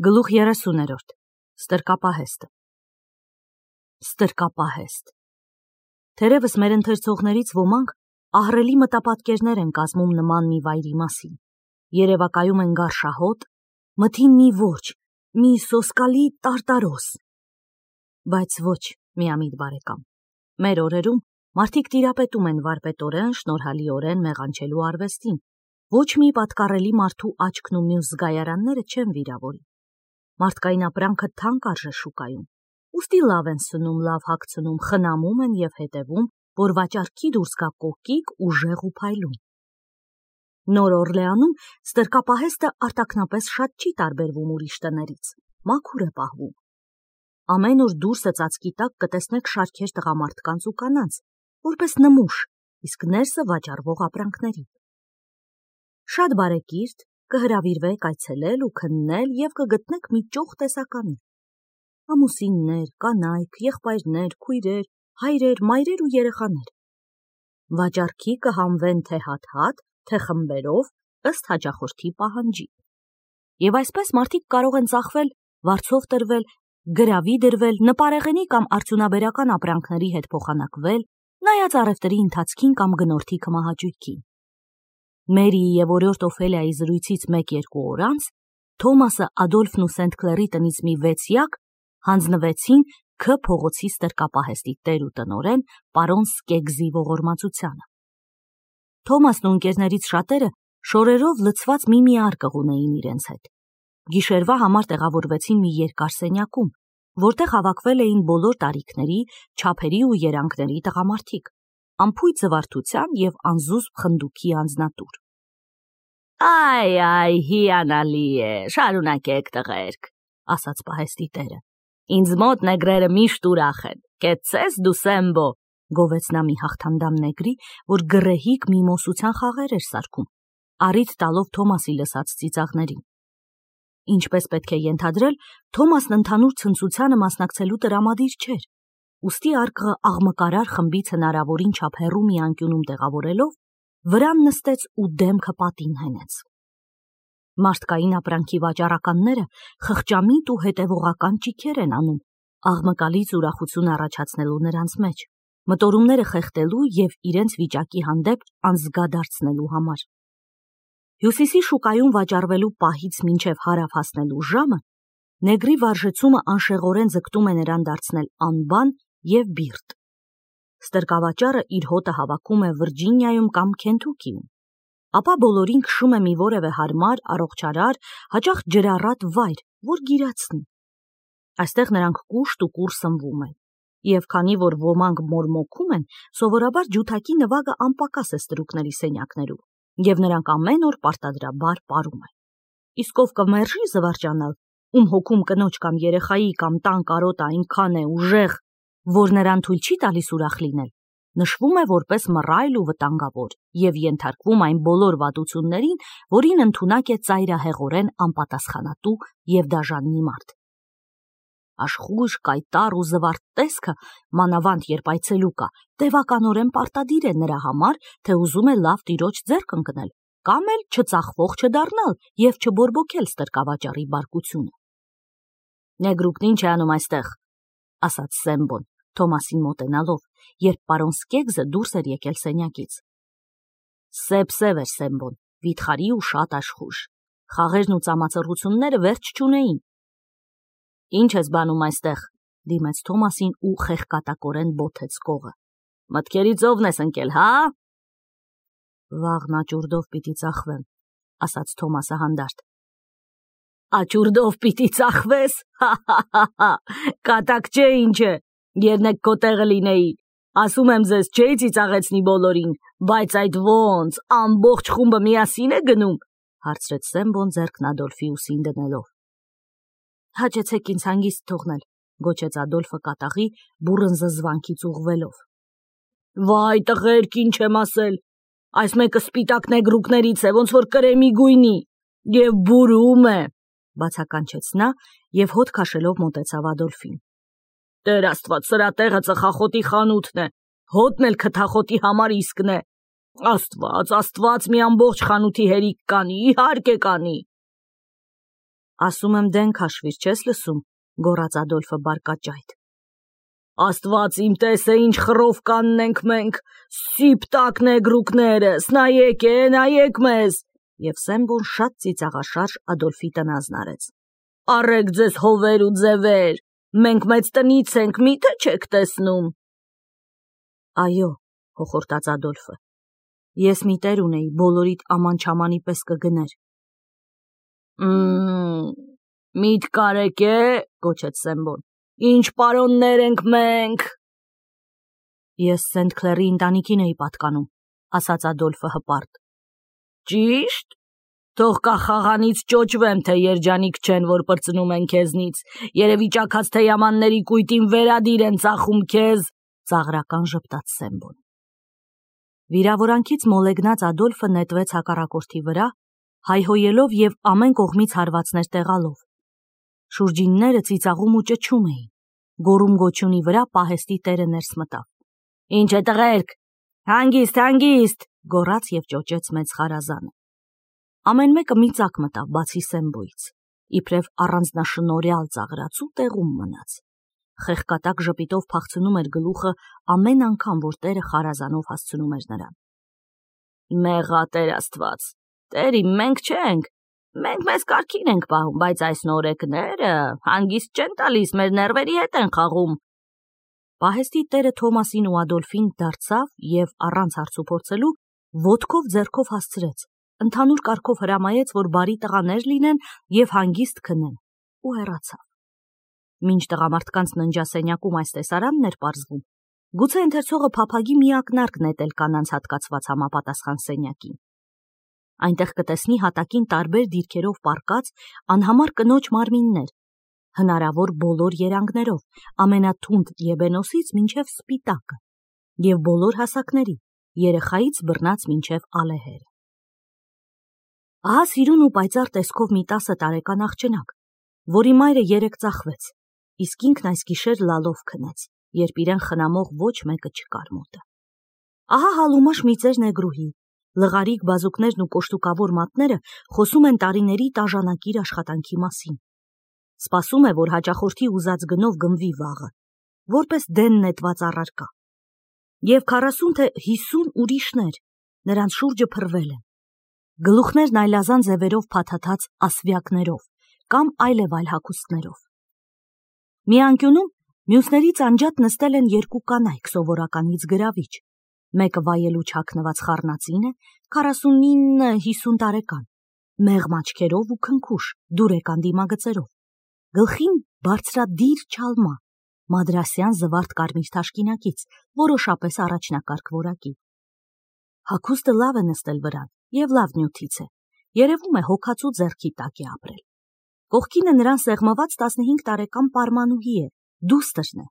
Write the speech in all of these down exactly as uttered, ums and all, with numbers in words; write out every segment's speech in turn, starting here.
Գլուխ երեսուներորդ Ստրկապահեստը Ստրկապահեստ Թերևս մեր ընթերցողներից ոմանք ահռելի մտապատկերներ են կազմում նման մի վայրի մասին, երևակայում են գարշահոտ, մթին մի որջը, մի սոսկալի տարտարոս։ Բայց ոչ, միամիտ բարեկամ, մեր օրերում մարդիկ տիրապետում են վարպետորեն, շնորհալիորեն մեղանչելու արվեստին, ոչ մի պատկառելի մարդու աչքն ու մյուս զգայարանները չեն վիրավորի։ Մարդկային ապրանքը թանկ արժե շուկայում, ուստի լավ են սնում, լավ հագցնում, խնամում են և հետևում, որ վաճառքի դուրս գա կոկիկ, ուժեղ ու փայլուն։ Նոր Օրլեանում ստրկապահեստը արտաքնապես շատ չի տարբերվում ուրիշ տներից, մաքուր է պահվում։ Ամեն օր դուրսը ծածկի տակ կտեսնեք շարքեր տղամարդկանց ու կանանց, որպես նմուշ, իսկ ներսը վաճառվող ապրանքների։ Շատ բարեկիրթ կհրավիրվեք այցելել ու քննել և կգտնեք մի ճոխ տեսականի։ Ամուսիններ, կանայք, եղբայրներ, քույրեր, հայրեր, մայրեր ու երեխաներ։ Վաճառքի կհանվեն թե հատ-հատ, թե խմբերով, ըստ հաճախորդի պահանջի։ Եվ այսպես մարդիկ կարող են ծախվել, վարձով տրվել, գրավի դրվել, նպարեղենի կամ արդյունաբերական ապրանքների հետ փոխանակվել, նայած առևտրի ընթացքին կամ գնորդի քմահաճույքին։ Մերիի և օրիորդ Օֆելիայի զրույցից մեկ-երկու օր անց Թոմասը, Ադոլֆն ու Սենտ Քլերի տնից մի վեցյակ հանձնվեցին Ք փողոցի ստրկապահեստի տեր ու տնօրեն պարոն Սկեգզի ողորմածությանը։ Թոմասն ու ընկերներից շատերը շորերով լցված մի-մի արկղ ունեին իրենց հետ։ Գիշերվա համար տեղավորվեցին մի երկար սենյակում, որտեղ հավաքվել էին բոլոր տարիքների, չափերի ու երանգների տղամարդիկ, անփույթ զվարթության և անզուսպ խնդուքի անձնատուր։ Այ, այ, հիանալի է, շարունակեք տղերք, ասաց պահեստի տերը։ Ինձ մոտ նեգրերը միշտ ուրախ են, կեցցես դու Սեմբո, գովեց նա մի հաղթանդամ նեգրի, որ գռեհիկ մի մոսության խաղեր էր սարքում, առիթ տալով Թոմասի լսած ծիծաղներին։ Ինչպես պետք է ենթադրել, Թոմասն ընդհանուր ցնծությանը մասնակցելու տրամադիր չէր, ուստի արկղը աղմկարար խմբից հնարավորին չափ հեռու մի անկյունում տեղավորելով, վրան նստեց ու դեմքը պատին հենեց։ Մարդկային ապրանքի վաճառականները խղճամիտ ու հետևողական ճիգեր են անում, աղմկալից ուրախություն առաջացնելու նրանց մեջ, մտորումները խեղդելու և իրենց վիճակի հանդեպ անզգա դարձնելու համար։ Հյուսիսի շուկայում վաճառվելու պահից մինչև հարավ հասնելու ժամը նեգրի վարժեցումը անշեղորեն ձգտում է նրան դարձնել անբան և բիրտ։ Ստրկավաճառը իր հոտը հավաքում է Վիրջինիայում կամ Քենթուքիում, ապա բոլորին քշում է մի որևէ հարմար, առողջարար, հաճախ ջրառատ վայր, որ գիրացնի։ Այստեղ նրանք կուշտ ու կուռ սնվում են, և քանի որ ոմանք մորմոքում են, սովորաբար ջութակի նվագը անպակաս է ստրուկների սենյակներում, և նրանք ամեն օր պարտադրաբար պարում են։ Իսկ ով կմերժի զվարճանալ, ում հոգում կնոջ կամ երեխայի կամ տան կարոտը այնքան է ուժեղ, որ նրան թույլ չի տալիս ուրախ լինել, նշվում է որպես մռայլ ու վտանգավոր և ենթարկվում այն բոլոր վատություններին, որին ընդունակ է ծայրահեղորեն անպատասխանատու և դաժան մի մարդ։ Աշխույժ, կայտառ ու զվարթ տեսքը, մանավանդ երբ այցելու կա, տևականորեն պարտադիր է նրա համար, թե ուզում է լավ տիրոջ ձեռք ընկնել, կամ էլ չծախվող չդառնալ և չբորբոքել ստրկավաճառի բարկությունը։ Նեգրուկն ինչ է անում այստեղ, ասաց Սեմբոն, Թոմասին մոտենալով, երբ պարոն Սկեգզը դուրս էր եկել սենյակից։ Սև-սև էր Սեմբոն, վիթխարի ու շատ աշխույժ, խաղերն ու ծամածռությունները վերջ չունեին։ Ինչ ես բանում այստեղ, դիմեց Թոմասին ու խեղկատակորեն բոթեց կողը։ Մտքերի ծովն ես ընկել, հա։ Վաղն աճուրդով պիտի ծախվեմ, ասաց Թոմասը հանդարտ։ Աճուրդով պիտի ծախվես, հա-հա-հա, կատակ չէ ինչ է, երնեք քո տեղը լինեի, ասում եմ ձեզ չէի ծիծաղեցնի բոլորին, բայց այդ ոնց, ամբողջ խումբը միասին է գնում, հարցրեց Սեմբոն ձեռքն Ադոլֆի ուսին դնելով։ Հաճեցեք ինձ հանգիստ թողնել, գոչեց Ադոլֆը կատաղի բուռն զզվանքից ուղղվելով։ Վայ տղերք, ինչ եմ ասել, այս մեկը սպիտակ նեգրուկներից է, ոնց որ կրեմի գույնի, և բուրում է, բացականչեց նա և հոտ քաշելով մոտեցավ Ադոլֆին։ Տեր Աստված, սրա տեղը ծխախոտի խանութն է, հոտն էլ քթախոտի համար իսկն է։ Աստված, Աստված, մի ամբողջ խանութի հերիք կանի, իհարկե կանի։ Ասում եմ դեն քաշվիր, չես լսում, գոռաց Ադոլֆը բարկաճայթ։ Աստված իմ տես է, ինչ խռով կաննենք մենք, սիպտակ նեգրուկներս, նայեք է, նայեք մեզ, և Սեմբոն շատ ծիծաղաշարժ Ադոլֆի տնազն արեց։ Առեք ձեզ հովեր ու ձևեր, մենք մեծ տնից ենք, միթե չեք տեսնում։ Այո, հոխորտաց Ադոլֆը, ես մի տեր ունեի, բոլորիդ աման-չամանի պես կգներ։ Մմ, միտք կարեք է, գոչեց Սեմբոն, ինչ պարոններ ենք մենք։ Ես Սենթ Քլերի ընտանիքին էի պատկանում, ասաց Ադոլֆը հպարտ։ Ճիշտ, թող կախաղանից ճոճվեմ, թե երջանիկ չեն, որ պրծնում են քեզնից, երևի ճաքած թեյամանների կույտին վերադիր են ծախում քեզ, ծաղրական ժպտաց Սեմբոն։ Վիրավորանքից մոլեգնած Ադոլֆը նետվեց հակառակորդի վրա, հայհոյելով և ամեն կողմից հարվածներ տեղալով։ Շուրջինները ծիծաղում ու ճչում էին, գոռում-գոչյունի վրա պահեստի տերը ներս մտավ։ Ինչ է տղերք, հանգիստ, հանգիստ, գոռաց և ճոճեց մեծ խարազանը։ Ամեն մեկը մի ծակ մտավ, բացի Սեմբոյից, իբրև առանձնաշնորհյալ ծաղրացու տեղում մնաց։ Խեղկատակ ժպիտով փախցնում էր գլուխը ամեն անգամ, որ տերը խարազանով հասցնում էր նրան։ Մեղա Տեր Աստված, Տերի, մենք չենք, մենք մեզ կարգին ենք պահում, բայց այս նորեկները հանգիստ չեն տալիս, մեր ներվերի հետ են խաղում։ Պահեստի տերը Թոմասին ու Ադոլֆին դարձավ և առանց հարցուփորձելու ոտքով ձեռքով հասցրեց, ընդհանուր կարգով հրամայեց, որ բարի տղաներ լինեն և հանգիստ քնեն, ու հեռացավ։ Մինչ տղամարդկանց ննջասենյակում այս տեսարանն էր պարզվում, գուցե ընթերցողը փափագի մի ակնարկ նետել կանանց հատկացված համապատասխան սենյակին։ Այնտեղ կտեսնի հատակին տարբեր դիրքերով պառկած անհամար կնոջ մարմիններ, հնարավոր բոլոր երանգներով, ամենաթունդ եբենոսից մինչև սպիտակը, և բոլոր հասակների, երեխայից բռնած մինչև ալեհերը։ Ահա սիրուն ու պայծառ տեսքով մի տասը տարեկան աղջնակ, որի մայրը երեկ ծախվեց, իսկ ինքն այս գիշեր լալով քնեց, երբ իրեն խնամող ոչ մեկը չկար մոտը։ Ահա հալումաշ մի ծեր նեգրուհի, լղարիկ բազուկներն ու կոշտուկավոր մատները խոսում են տարիների տաժանակիր աշխատանքի մասին։ Սպասում է, որ հաճախորդի ուզած գնով գնվի վաղը, որպես դեն նետված առարկա։ Եվ քառասուն թե հիսուն ուրիշներ նրանց շուրջը փռվել են, գլուխներն այլազան ձևերով փաթաթած ասվյակներով կամ այլև այլ հագուստներով։ Մի անկյունում մյուսներից անջատ նստել են երկու կանայք սովորականից գրավիչ, մեկը վայելու չակնված խառնածին է, քառասունինը հիսուն տարեկան, մեղմ աչքերով ու քնքուշ, դուրեկան դիմագծերով, գլխին բարձրադիր չալմա, մադրասյան զվարթ կարմիր թաշկինակից, որոշապես առաջնակարգ որակի։ Հագուստը լավ է նստել վրան և լավ նյութից է, երևում է հոգացու ձեռքի տակ է ապրել։ Կողքինը նրան սեղմված տասնհինգ տարեկան պարմանուհի է, դուստրն է,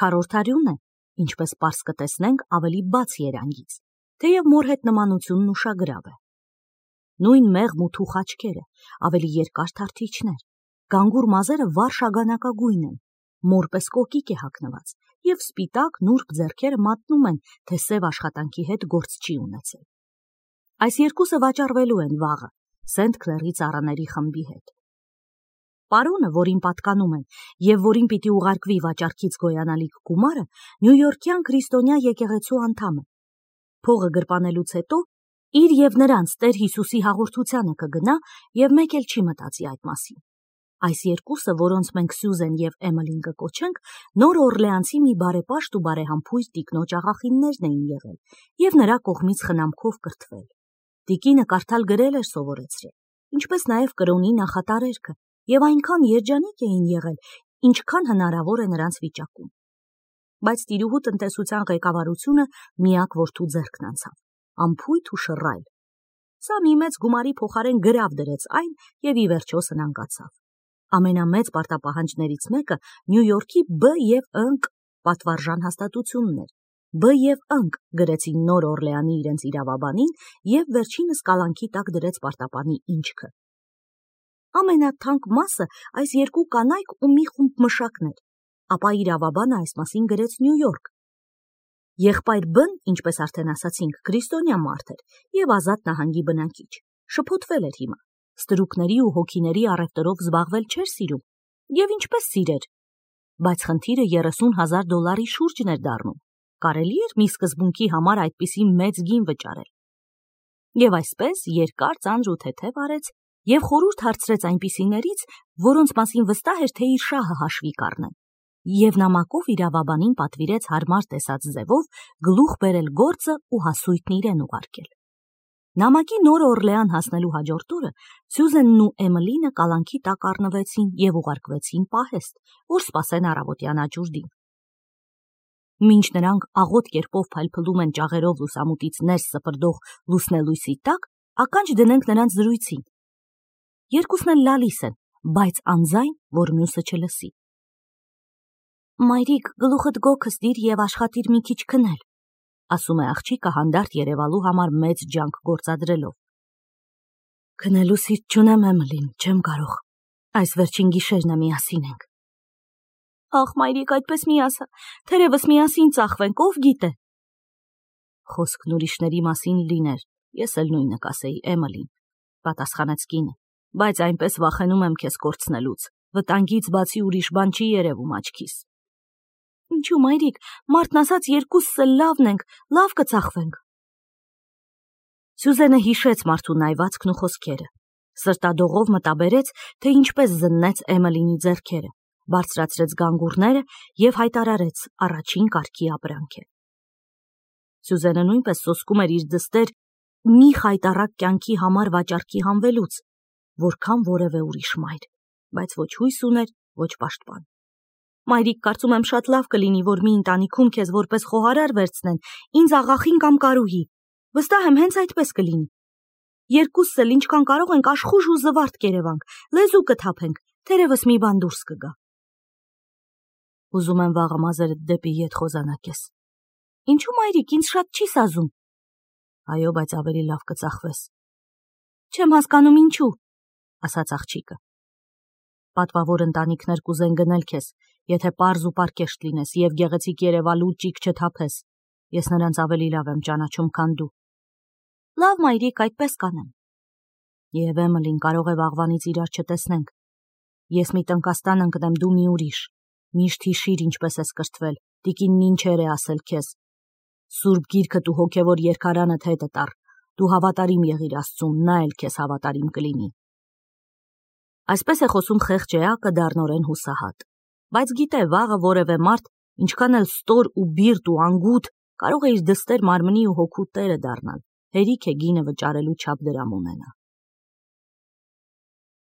քառորդարյուն է, ինչպես պարզ կտեսնենք ավելի բաց երանգից, թեև մոր հետ նմանությունն ուշագրավ է։ Նույն մեղմ ու թուխ աչքերը, ավելի երկար թարթիչներ, գանգուր մազերը վառ շագանակագույն են, մոր պես կոկիկ է հագնված, և սպիտակ նուրբ ձեռքերը մատնում են, թե սև աշխատանքի հետ գործ չի ունեցել։ Այս երկուսը վաճառվելու են վաղը Սենթ Քլերի ծառաների խմբի հետ։ Պարոնը, որին պատկանում են և որին պիտի ուղարկվի վաճառքից գոյանալիք գումարը, նյույորքյան քրիստոնյա եկեղեցու անդամ է։ Փողը գրպանելուց հետո իր և նրանց Տեր Հիսուսի հաղորդությանը կգնա և մեկ էլ չի մտածի այդ մասին։ Այս երկուսը, որոնց մենք Սյուզեն և Էմելին կկոչենք, Նոր Օրլեանցի մի բարեպաշտ ու բարեհամբույր տիկնոջ աղախիններն էին եղել և նրա կողմից խնամքով կրթվել։ Տիկինը կարդալ գրել էր սովորեցրել, ինչպես նաև կրոնի նախատարերքը, և այնքան երջանիկ էին եղել, ինչքան հնարավոր է նրանց վիճակում։ Բայց տիրուհու տնտեսության ղեկավարությունը միակ որդու ձեռքն անցավ, անփույթ ու շռայլ։ Սա մի մեծ գումարի փոխարեն գրավ դրեց այն և ի վերջո սնանկացավ։ Ամենամեծ պարտապահանջներից մեկը Նյույորքի B և Ընկ պատվարժան հաստատությունն էր։ B և Ընկ գրեցին Նոր Օրլեանի իրենց իրավաբանին և վերջինս կալանքի տակ դրեց պարտապանի ինչքը։ Ամենաթանկ մասը այս երկու կանայք ու մի խումբ մշակներ, ապա իրավաբանը այս մասին գրեց Նյու Յորք։ Եղբայր B-ն, ինչպես արդեն ասացինք, քրիստոնյա մարդ էր և ազատ նահանգի բնակիչ, շփոթվել էր հիմա, ստրուկների ու հոգիների առևտրով զբաղվել չէր սիրում, եւ ինչպես սիրեր, բայց խնդիրը երեսուն հազար դոլարի շուրջն էր դառնում, կարելի էր մի սկզբունքի համար այդպիսի մեծ գին վճարել։ Եվ այսպես երկար ծանր ու թեթև արեց եւ խորհուրդ հարցրեց այնպիսիներից, որոնց մասին վստահ էր, թե իր շահը հաշվի կառնեն, եւ նամակով իրավաբանին պատվիրեց հարմար տեսած ձևով գլուխ բերել գործը ու հասույթն իրեն ուղարկել։ Նամակի նոր Օրլեան հասնելու հաջորդ օրը Սյուզենն ու Էմելինը կալանքի տակ առնվեցին եւ ուղարկվեցին պահեստ, որ սպասեն առավոտյան աճուրդին։ Մինչ նրանք աղոտ կերպով փայլփլում են ճաղերով լուսամուտից ներս սփռդող լուսնելույսի տակ, ականջ դնենք նրանց զրույցին։ Երկուսն էլ լալիս են, բայց անձայն, որ մյուսը չլսի։ Մայրիկ, գլուխդ գոքս դիր եւ աշխատիր մի քիչ քնել, ասում է աղջիկը հանդարտ երևալու համար մեծ ջանք գործադրելով։ Քնելու սիրտ չունեմ, Էմելին, չեմ կարող։ Այս վերջին գիշերն է միասին ենք։ Ախ, մայրիկ, այդպես մի ասա, թերևս միասին ծախվենք, ով գիտե։ Խոսքն ուրիշների մասին լիներ, ես էլ նույնը կասեի, Էմելին, պատասխանեց կինը, բայց այնպես վախենում եմ քեզ կորցնելուց, վտանգից բացի ուրիշ բան չի երևում աչքիս։ Ինչու, մայրիկ, մարդն ասած երկուսս էլ լավն ենք, լավ կծախվենք։ Սյուզենը հիշեց մարդու նայվածքն ու խոսքերը, սրտադողով մտաբերեց, թե ինչպես զննեց Էմելինի ձեռքերը, բարձրացրեց գանգուրները եւ հայտարարեց առաջին կարգի ապրանք է։ Սյուզենը նույնպես սոսկում էր իր դստեր մի խայտառակ կյանքի համար վաճառքի հանվելուց, որքան որևէ ուրիշ մայր, բայց ոչ հույս ուներ, ոչ պաշտպան։ Մայրիկ, կարծում եմ շատ լավ կլինի, որ մի ընտանիքում քեզ որպես խոհարար վերցնեն, ինձ աղախին կամ կարուհի։ Վստահ եմ, հենց այդպես կլինի։ Երկուսս էլ ինչքան կարող ենք աշխուժ ու զվարթ կերևանք, լեզու կթափենք, թերևս մի բան դուրս կգա։ Ուզում եմ վաղը մազերդ դեպի ետ խոզանակես։ Ինչու, մայրիկ, ինձ շատ չի սազում։ Այո, բայց ավելի լավ կծախվես։ Չեմ հասկանում ինչու, ասաց աղջիկը։ Պատվավոր ընտանիքներ կուզեն գնել քեզ, եթե պարզ ու պարկեշտ լինես եւ գեղեցիկ երևալու ճիգ չթափես։ Ես նրանց ավելի լավ եմ ճանաչում, քան դու։ Լավ, մայրիկ, այդպես կանեմ։ Եվ Էմելին, կարող է վաղվանից իրար չտեսնենք։ Ես մի տնկաստան ընկնեմ, դու մի ուրիշ։ Միշտ հիշիր ինչպես ես կրթվել, տիկինն ինչեր է ասել քեզ։ Սուրբ գիրքդ ու հոգևոր երկարանդ հետը տար, դու հավատարիմ եղիր Աստծուն, նա էլ քեզ հավատարիմ կլինի։ Այսպես է խոսում խեղճ էակը դառնորեն հուսահատ, բայց գիտե վաղը որևէ մարդ, ինչքան էլ ստոր ու բիրտ ու անգութ, կարող է իր դստեր մարմնի ու հոգու տերը դառնալ, հերիք է գինը վճարելու չափ դրամ ունենա։